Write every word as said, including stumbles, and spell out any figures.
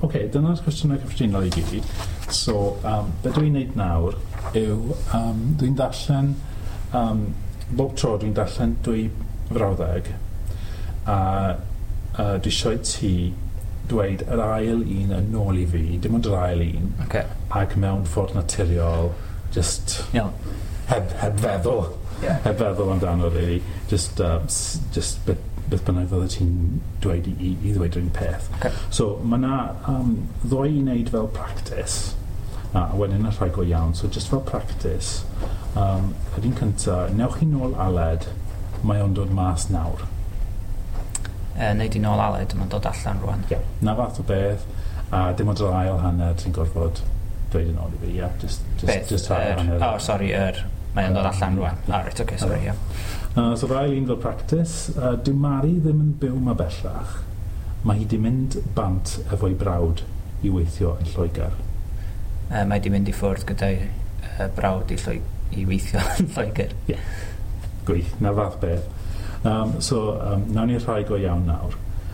okay, dyna'r cwestiynau cyffredinol i gyd. So, um, be dwi'n neud nawr yw, um, dwi'n darllen, um, bob tro dwi'n darllen dwy frawddeg, a uh, dwi eisiau ti dweud yr ail un yn ôl i fi, dim ond yr ail un, Okay. ac mewn ffordd naturiol, just Iawn. heb, heb feddwl, Yeah. heb feddwl amdano, really. Just, uh, s- just beth, beth bynnag fydde ti'n dweud i, i, i ddweud yr un peth. Okay. So, mae yna um, ddoi i wneud fel practice, a wedyn y rhai go iawn. So, just fel practice, um, yr un cynta, newch chi nôl Aled, mae o'n dod mas nawr. Uh, Nei di nôl Aled, mae'n dod allan rwan. Yeah. Na fath o beth, a dim ond yr ail hanner ti'n gorfod dweud yn ôl i fi, yeah. Just, just, Beth? just yr ail Yr- hanner. Oh, sorry, yr... Mae'n dod allan rwan. Ah, right, okay, sorry, yeah. Uh, so, yr ail un fel practice, uh, dyw Mari ddim yn byw 'ma bellach. Mae hi di mynd bant efo'i brawd i weithio yn Lloegr. Uh, mae di mynd i ffwrdd gyda'i uh, brawd i, Lloeg i weithio yn Lloegr. Gwych, na fath beth. Um, so, um, nawn ni'r rhai go iawn nawr.